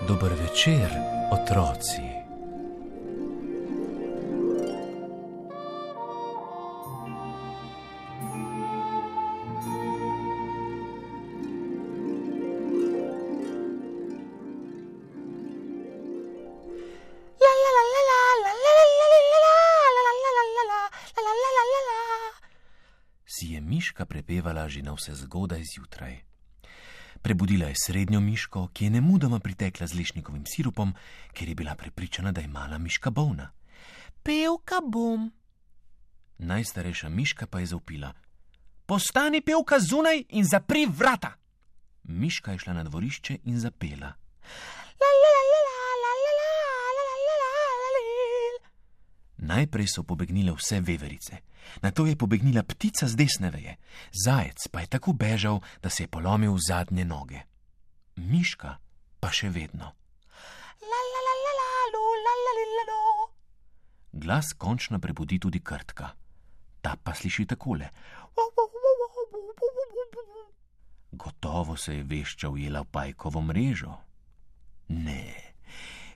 Dober večer, otroci. Si je miška prepevala že navsezgodaj zjutraj. Prebudila je srednjo miško, ki je nemudoma pritekla z lešnikovim sirupom, ker je bila prepričana, da je mala miška bolna. Pevka bom. Najstarejša miška pa je zavpila: Postani pevka zunaj in zapri vrata. Miška je šla na dvorišče in zapela. Najprej so pobegnile vse veverice, nato je pobegnila ptica z desne veje, zajec pa je tako bežal, da se je polomil v zadnje noge. Miška pa še vedno. Glas končno prebudi tudi Krtka. Ta pa sliši takole. Gotovo se je vešča ujela v pajkovo mrežo. Ne,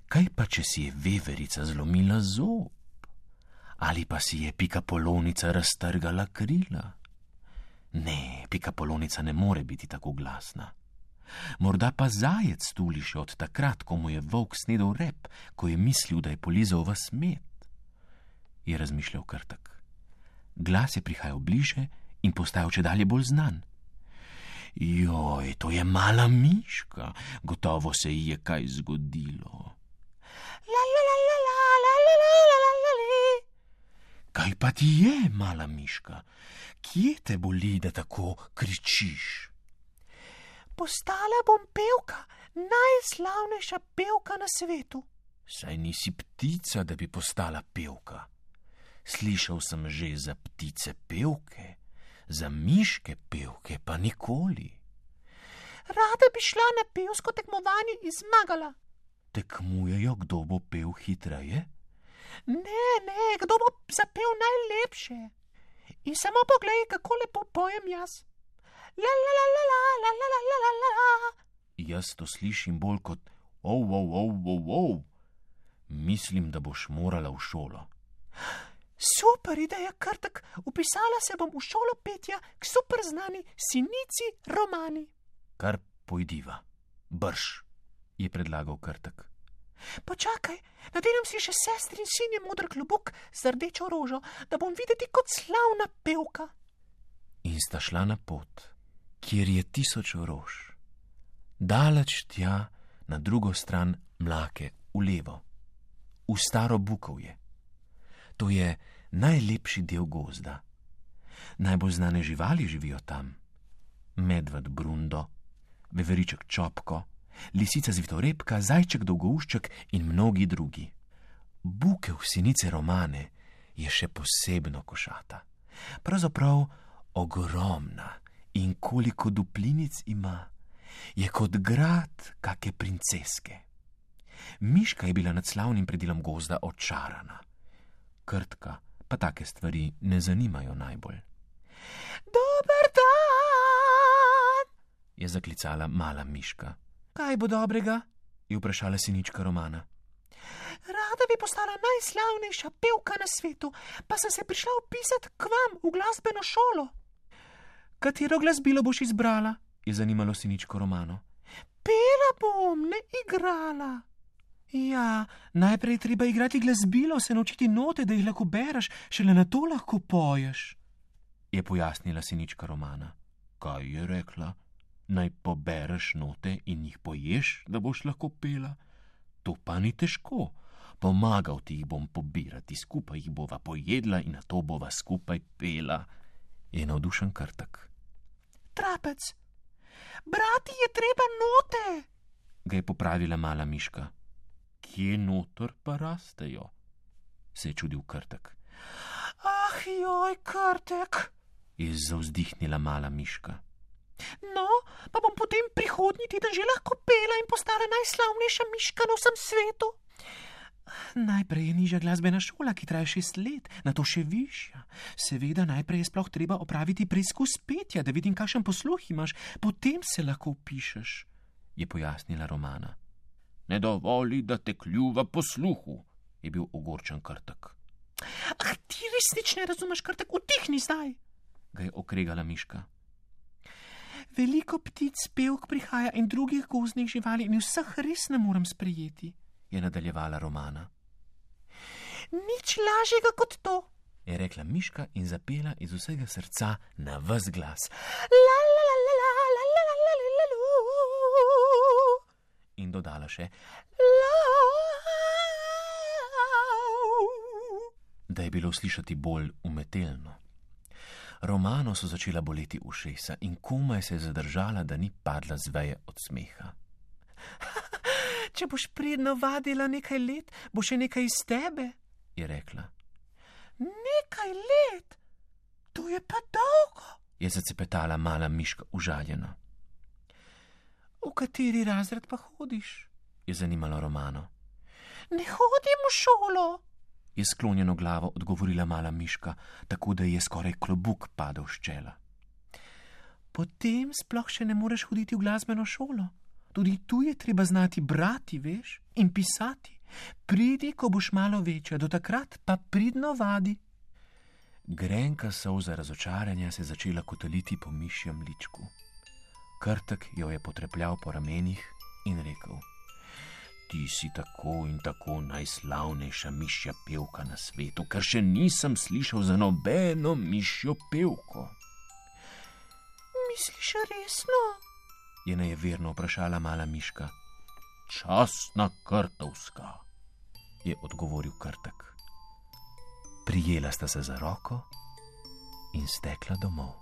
kaj pa, če si je veverica zlomila zob? Ali pa si je pikapolonica raztrgala krila? Ne, pikapolonica ne more biti tako glasna. Morda pa zajec tuli še od takrat, ko mu je volk snedel rep, ko je mislil, da je polizal vas med. Je razmišljal Krtek. Glas je prihajal bliže in postajal čedalje bolj znan. Joj, to je mala miška, gotovo se ji je kaj zgodilo. Kaj pa ti je, mala miška? Kje te boli, da tako kričiš? Postala bom pevka, najslavnejša pevka na svetu. Saj nisi ptica, da bi postala pevka. Slišal sem že za ptice pevke, za miške pevke pa nikoli. Rada bi šla na pevsko tekmovanje in zmagala. Tekmujejo, kdo bo pel hitreje? Ne, kdo bo zapel najlepše. In samo poglej, kako lepo pojem jaz. Jaz to slišim bolj kot ov. Mislim, da boš morala v šolo. Super ideja, Krtek. Upisala se bom v šolo petja k super znani Sinici Romani. Kar pojdiva. Brž, je predlagal Krtek. Počakaj, nadenem si še sestrin sinje moder klobuk z rdečo rožo, da bom videti kot slavna pevka. In sta šla na pot, kjer je 1000 rož. Daleč tja, na drugo stran Mlake, v levo, v staro Bukovje. To je najlepši del gozda. Najbolj znane živali živijo tam. Medved Brundo, veveriček Čopko, lisica Zvitorepka, zajček Dolgoušček in mnogi drugi. Bukev Sinice Romane je še posebno košata. Pravzaprav ogromna, in koliko duplinic ima, je kot grad kake princeske. Miška je bila nad slavnim predilom gozda očarana. Krtka pa take stvari ne zanimajo najbolj. Dober dan, je zaklicala mala miška. Kaj bo dobrega? Je vprašala Sinička Romana. Rada bi postala najslavnejša pevka na svetu, pa sem se prišla vpisati k vam v glasbeno šolo. Katero glasbilo boš izbrala? Je zanimalo Siničko Romano. Pela bom, ne igrala. Ja, najprej treba igrati glasbilo, se naučiti note, da jih lahko bereš, šele na to lahko poješ, je pojasnila Sinička Romana. Kaj je rekla? Naj pobereš note in jih poješ, da boš lahko pela? To pa ni težko. Pomagal ti jih bom pobirati, skupaj jih bova pojedla in nato bova skupaj pela, je navdušen Krtek. Trapec, brati je treba note, ga je popravila mala miška. Kje noter pa rastejo? Se je čudil Krtek. Ah, joj, Krtek, je zavzdihnila mala miška. No, pa bom potem prihodnji teden že lahko pela in postala najslavnejša miška na vsem svetu. Najprej je nižja glasbena šola, ki traja 6 let, nato še višja. Seveda, najprej je sploh treba opraviti preizkus petja, da vidim, kakšen posluh imaš, potem se lahko vpišeš, je pojasnila Romana. Ne dovoli, da te kljuva posluhu, je bil ogorčen Krtek. Ah, ti resnič ne razumeš, Krtek, utihni zdaj, ga je okregala miška. Veliko ptic, pevk prihaja in drugih gozdnih živali in vseh res ne morem sprejeti, je nadaljevala Romana. Nič lažjega kot to, je rekla miška in zapela iz vsega srca na ves glas. La la la la la la la la la la la. In dodala še la. Da je bilo slišati bolj umetelno. Romano so začela boleti ušesa in komaj se je zadržala, da ni padla z veje od smeha. Če boš pridno vadila nekaj let, bo še nekaj iz tebe, je rekla. Nekaj let? To je pa dolgo, je zacepetala mala miška užaljena. V kateri razred pa hodiš? Je zanimalo Romano. Ne hodim v šolo, je sklonjeno glavo odgovorila mala miška, tako da je skoraj klobuk padel s čela. Potem sploh še ne moreš hoditi v glasbeno šolo. Tudi tu je treba znati brati, veš, in pisati. Pridi, ko boš malo večja, do takrat pa pridno vadi. Grenka solza razočaranja se je začela kotaliti po mišjem ličku. Krtek jo je potrepljal po ramenih in rekel: Ti si tako in tako najslavnejša mišja pevka na svetu, ker še nisem slišal za nobeno mišjo pevko. Misliš resno? Je nejeverno vprašala mala miška. Častna Krtovska, je odgovoril Krtek. Prijela sta se za roko in stekla domov.